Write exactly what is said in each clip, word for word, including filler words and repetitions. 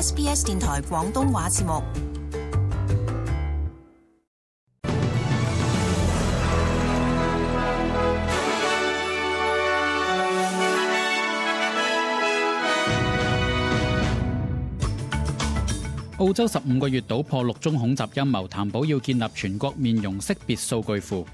S B S 電台廣東話節目。澳洲十五個月搗破六宗恐襲陰謀，談保要建立全國面容識別數據庫。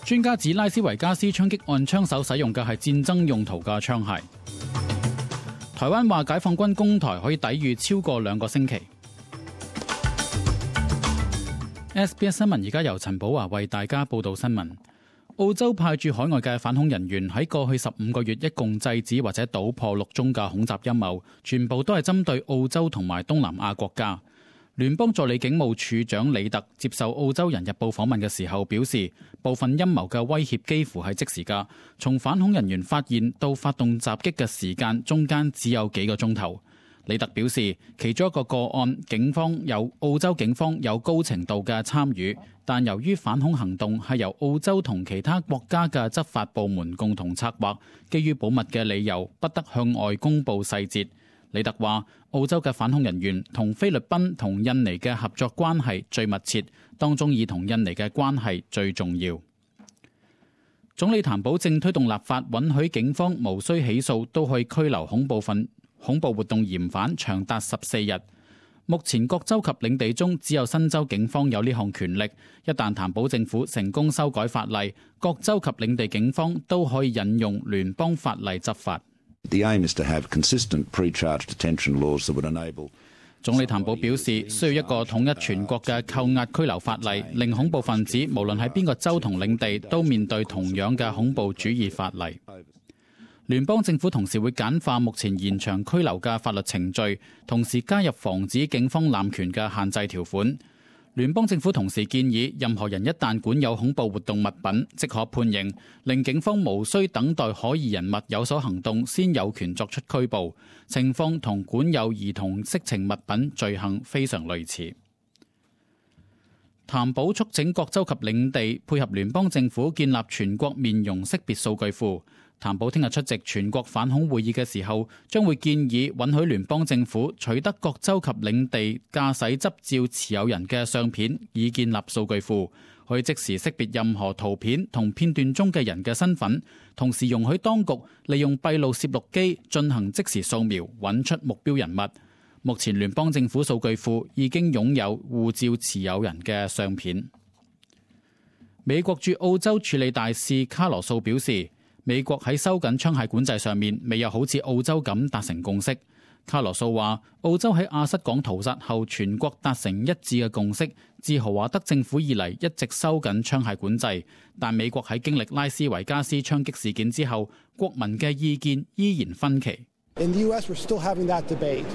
專家指拉斯維加斯槍擊案槍手使用嘅係戰爭用途嘅槍械。台灣話解放軍攻台可以抵禦超過兩個星期。S B S 新聞而家由陳寶華為大家報道新聞。澳洲派駐海外嘅反恐人員喺過去十五個月一共制止或者搗破六宗嘅恐襲陰謀，全部都係針對澳洲同埋東南亞國家。聯邦助理警務處長李特接受澳洲人日報訪問嘅時候表示，部分陰謀嘅威脅幾乎係即時㗎，從反恐人員發現到發動襲擊嘅時間中間只有幾個鐘頭。李特表示，其中一個個案，警方有澳洲警方有高程度嘅參與，但由於反恐行動係由澳洲同其他國家嘅執法部門共同策劃，基於保密嘅理由，不得向外公佈細節。李特話，澳洲嘅反恐人員同菲律賓同印尼嘅合作關係最密切，當中以同印尼嘅關係最重要。總理譚寶正推動立法，允許警方無需起訴都可以拘留恐怖分恐怖活動嫌犯長達十四日。目前各州及領地中只有新州警方有呢項權力，一旦譚寶政府成功修改法例，各州及領地警方都可以引用聯邦法例執法。The aim is to have consistent pre-charge detention laws that would enable 總理譚寶表示，需要一個統一全國嘅扣押拘留法例，令恐怖分子無論喺邊個州同領地都面對同樣嘅恐怖主義法例。聯邦政府同時會簡化目前延長拘留嘅法律程序，同時加入防止警方濫權嘅限制條款。聯邦政府同時建議，任何人一旦管有恐怖活動物品，即可判刑，令警方無需等待可疑人物有所行動先有權作出拘捕。情況同管有兒童色情物品罪行非常類似。譚寶促請各州及領地配合聯邦政府建立全國面容識別數據庫。譚寶聽日出席全國反恐會議嘅時候，將會建議允許聯邦政府取得各州及領地駕駛執照持有人嘅相片，以建立數據庫，可以即時識別任何圖片同片段中嘅人嘅身份，同時容許當局利用閉路攝錄機進行即時掃描，揾出目標人物。目前聯邦政府數據庫已經擁有護照持有人嘅相片。美國駐澳洲處理大使卡羅素表示，美國喺收緊槍械管制上面未有好似澳洲咁達成共識。卡羅素話，澳洲喺亞瑟港屠殺後全國達成一致嘅共識，自豪華德政府以嚟一直收緊槍械管制，但美國喺經歷拉斯維加斯槍擊事件之後，國民嘅意見依然分歧。In the U S, we're still having that debate.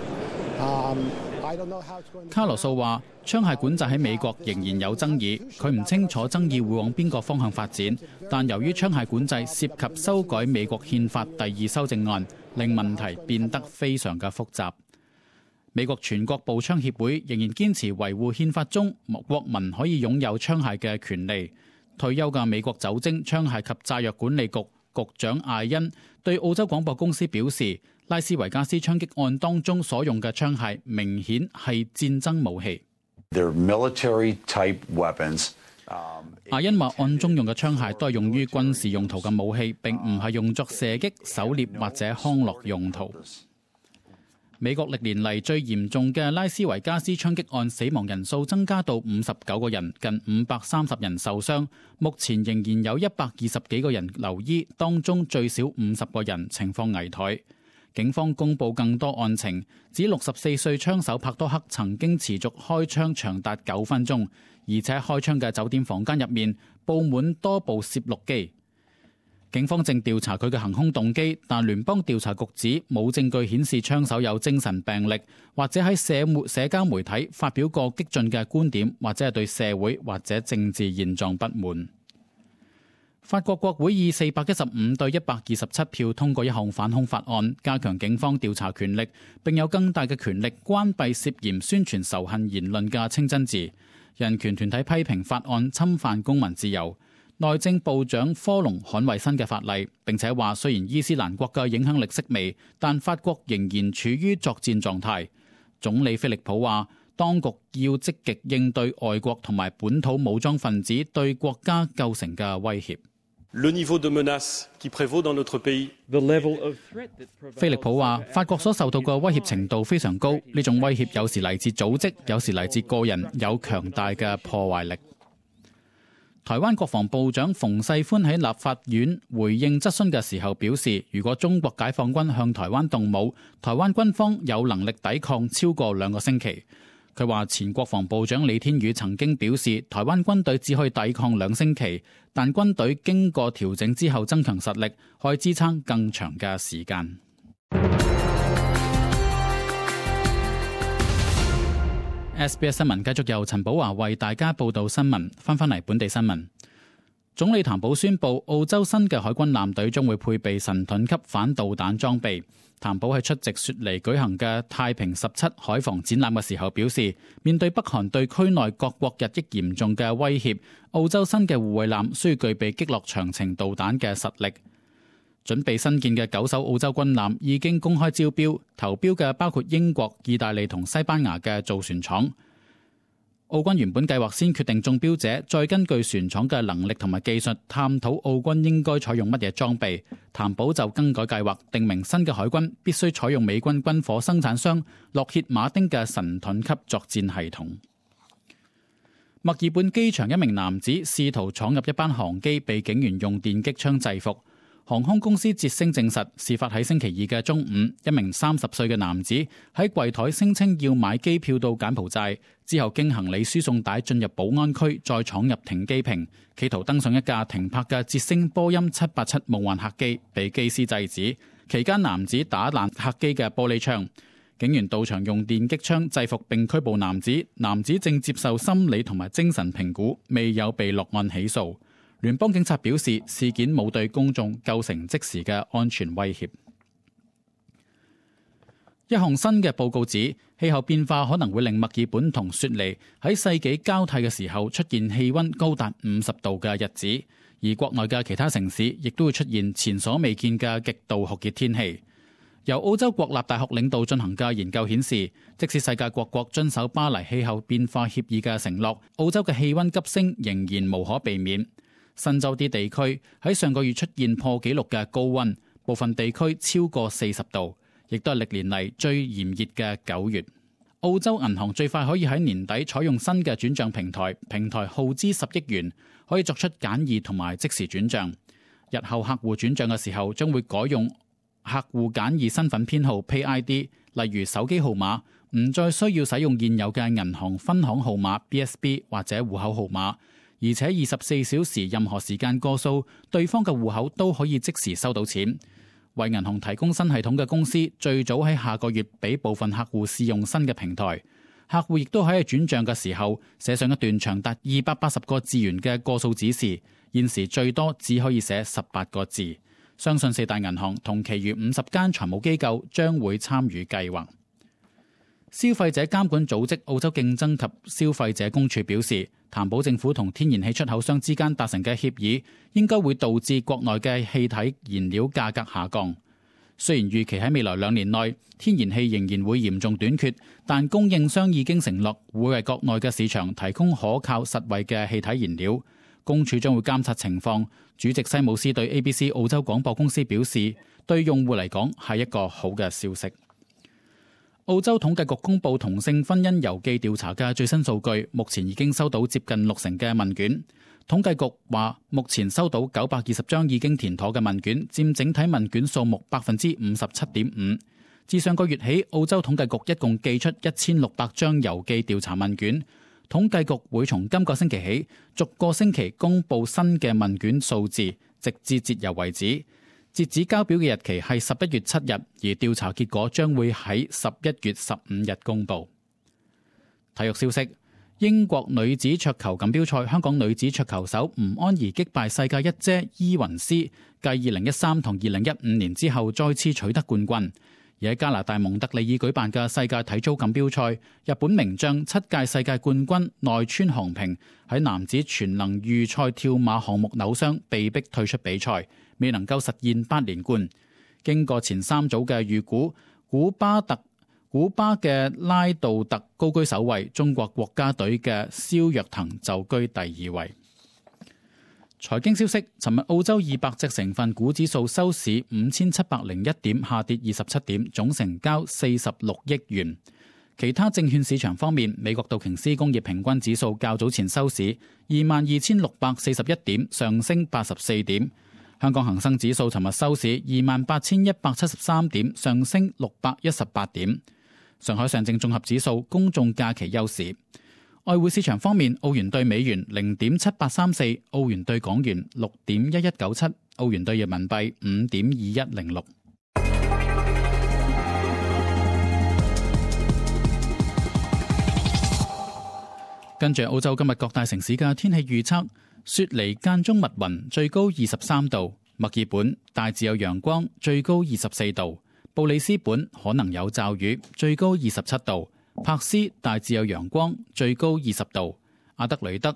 Um, 卡羅素話，槍械管制喺美國仍然有爭議，佢唔清楚爭議會往邊個方向發展，但由於槍械管制涉及修改美國憲法第二修正案，令問題變得非常嘅複雜。美國全國步槍協會仍然堅持維護憲法中國民可以擁有槍械嘅權利。退休嘅美國酒精、槍械及炸藥管理局局長艾恩對澳洲廣播公司表示，拉斯維加斯槍擊案當中所用嘅槍械明顯係戰爭武器。艾恩話，案中用嘅槍械都係用於軍事用途嘅武器，並唔係用作射擊、狩獵或者康樂用途。美國歷年嚟最嚴重嘅拉斯維加斯槍擊案死亡人數增加到五十九個人，近五百三十人受傷。目前仍然有一百二十幾個人留醫，當中最少五十個人情況危殆。警方公布更多案情，指六十四歲槍手帕多克曾經持續開槍長達九分鐘，而且開槍嘅酒店房間入面佈滿多部攝錄機。警方正調查佢嘅行兇動機，但聯邦調查局指冇證據顯示槍手有精神病歷，或者喺社媒社交媒體發表過激進嘅觀點，或者係對社會或者政治現狀不滿。法國國會以四百一十五對一百二十七票通過一項反恐法案，加強警方調查權力，並有更大嘅權力關閉涉嫌宣傳仇恨言論嘅清真寺。人權團體批評法案侵犯公民自由。內政部長科隆捍衛新嘅法例，並且話雖然伊斯蘭國嘅影響力式微，但法國仍然處於作戰狀態。總理菲利普話，當局要積極應對外國同埋本土武裝分子對國家構成嘅威脅。菲利普話，法國所受到嘅威脅程度非常高，呢種威脅有時嚟自組織，有時嚟自個人，有強大嘅破壞力。台灣國防部長馮世寬喺立法院回應質詢嘅時候表示，如果中國解放軍向台灣動武，台灣軍方有能力抵抗超過兩個星期。佢話前國防部長李天宇曾經表示，台灣軍隊只可以抵抗兩星期，但軍隊經過調整之後增強實力，可以支撐更長嘅時間。S B S 新聞繼續由陳寶華為大家報道新聞。翻返嚟本地新聞，總理譚寶宣布澳洲新嘅海軍艦隊將會配備神盾級反導彈裝備。譚寶喺出席雪梨舉行嘅太平十七海防展覽嘅時候表示，面對北韓對區內各國日益嚴重嘅威脅，澳洲新嘅護衛艦需要具備擊落長程導彈嘅實力。準備新建嘅九艘澳洲軍艦已經公開招標，投標嘅包括英國、意大利同西班牙嘅造船廠。澳軍原本計劃先決定中標者，再根據船廠嘅能力同埋技術，探討澳軍應該採用乜嘢裝備。譚寶就更改計劃，定明新嘅海軍必須採用美軍軍火生產商洛歇馬丁嘅神盾級作戰系統。墨爾本機場一名男子試圖闖入一班航機，被警員用電擊槍制服。航空公司捷星證實，事發喺星期二嘅中午，一名三十歲嘅男子喺櫃台聲稱要買機票到柬埔寨，之後經行李輸送帶進入保安區，再闖入停機坪，企圖登上一架停泊嘅捷星波音七八七夢幻客機，被機師制止。期間男子打爛客機嘅玻璃窗，警員到場用電擊槍制服並拘捕男子，男子正接受心理同埋精神評估，未有被落案起訴。聯邦警察表示，事件冇對公眾構成即時嘅安全威脅。一項新嘅報告指，氣候變化可能會令墨爾本同雪梨喺世紀交替嘅時候出現氣溫高達五十度嘅日子，而國內嘅其他城市亦都會出現前所未見嘅極度酷熱天氣。由澳洲國立大學領導進行嘅研究顯示，即使世界各國遵守巴黎氣候變化協議嘅承諾，澳洲嘅氣溫急升仍然無可避免。新州啲地區喺上個月出現破紀錄嘅高溫，部分地區超過四十度，亦都係歷年嚟最炎熱嘅九月。澳洲銀行最快可以喺年底採用新嘅轉賬平台，平台耗資十億元，可以作出簡易同埋即時轉賬。日後客戶轉賬嘅時候，將會改用客戶簡易身份編號 Pay I D， 例如手機號碼，唔再需要使用現有嘅銀行分行號碼 B S B 或者戶口號碼。而且二十四小時任何時間過數，對方嘅戶口都可以即時收到錢。為銀行提供新系統嘅公司最早喺下個月俾部分客戶試用新嘅平台，客戶亦都喺轉賬嘅時候寫上一段長達二百八十個字元嘅過數指示，現時最多只可以寫十八個字。相信四大銀行同其餘五十間財務機構將會參與計劃。消費者監管組織澳洲競爭及消費者公署表示，譚寶政府同天然氣出口商之間達成嘅協議，應該會導致國內嘅氣體燃料價格下降。雖然預期喺未來兩年內天然氣仍然會嚴重短缺，但供應商已經承諾會為國內嘅市場提供可靠實惠嘅氣體燃料。公署將會監察情況。主席西姆斯對 A B C 澳洲廣播公司表示，對用戶嚟講係一個好嘅消息。澳洲統計局公布同性婚姻郵寄調查嘅最新數據，目前已經收到接近六成嘅問卷。統計局話，目前收到九百二十張已經填妥嘅問卷，佔整體問卷數目百分之五十七點五。自上個月起，澳洲統計局一共寄出一千六百張郵寄調查問卷。統計局會從今個星期起，逐個星期公布新嘅問卷數字，直至截郵為止。截止交表嘅日期係十一月七日，而調查結果將會喺十一月十五日公布。體育消息：英國女子桌球錦標賽，香港女子桌球手吳安儀擊敗世界一姐伊雲絲，繼二零一三同二零一五年之後再次取得冠軍。而喺加拿大蒙特利爾舉辦嘅世界體操錦標賽，日本名將七屆世界冠軍內村航平喺男子全能預賽跳馬項目扭傷，被逼退出比賽，未能夠實現八連冠。經過前三組嘅預估，古巴特古巴嘅拉杜特高居首位，中國國家隊嘅蕭若騰就居第二位。財經消息，尋日澳洲二百隻成分股指數收市五千七百零一點，下跌二十七點，總成交四十六億元。其他證券市場方面，美國道瓊斯工業平均指數較早前收市二萬二千六百四十一點，上升八十四點。香港恒生指數尋日收市二萬八千一百七十三點，上升六百一十八點。上海上證綜合指數公眾假期休市。外匯市場方面，澳元兌美元零點七八三四，澳元兌港元六點一一九七，澳元兌人民幣五點二一零六。跟住澳洲今日各大城市嘅天氣預測：雪梨間中密雲，最高二十三度；墨爾本大致有陽光，最高二十四度；布里斯本可能有驟雨，最高二十七度。柏斯大致有陽光，最高二十度；阿德雷德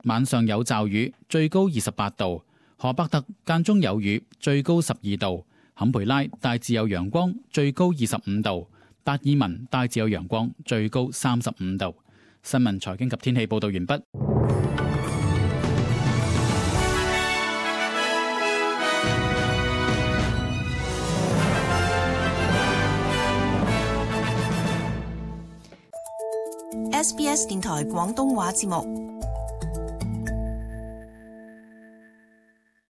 晚上有驟雨，最高二十八度；荷伯特間中有雨，最高十二度；坎培拉大致有陽光，最高二十五度；達爾文大致有陽光，最高三十五度。新聞財經及天氣報道完畢。S B S 電台廣東話節目。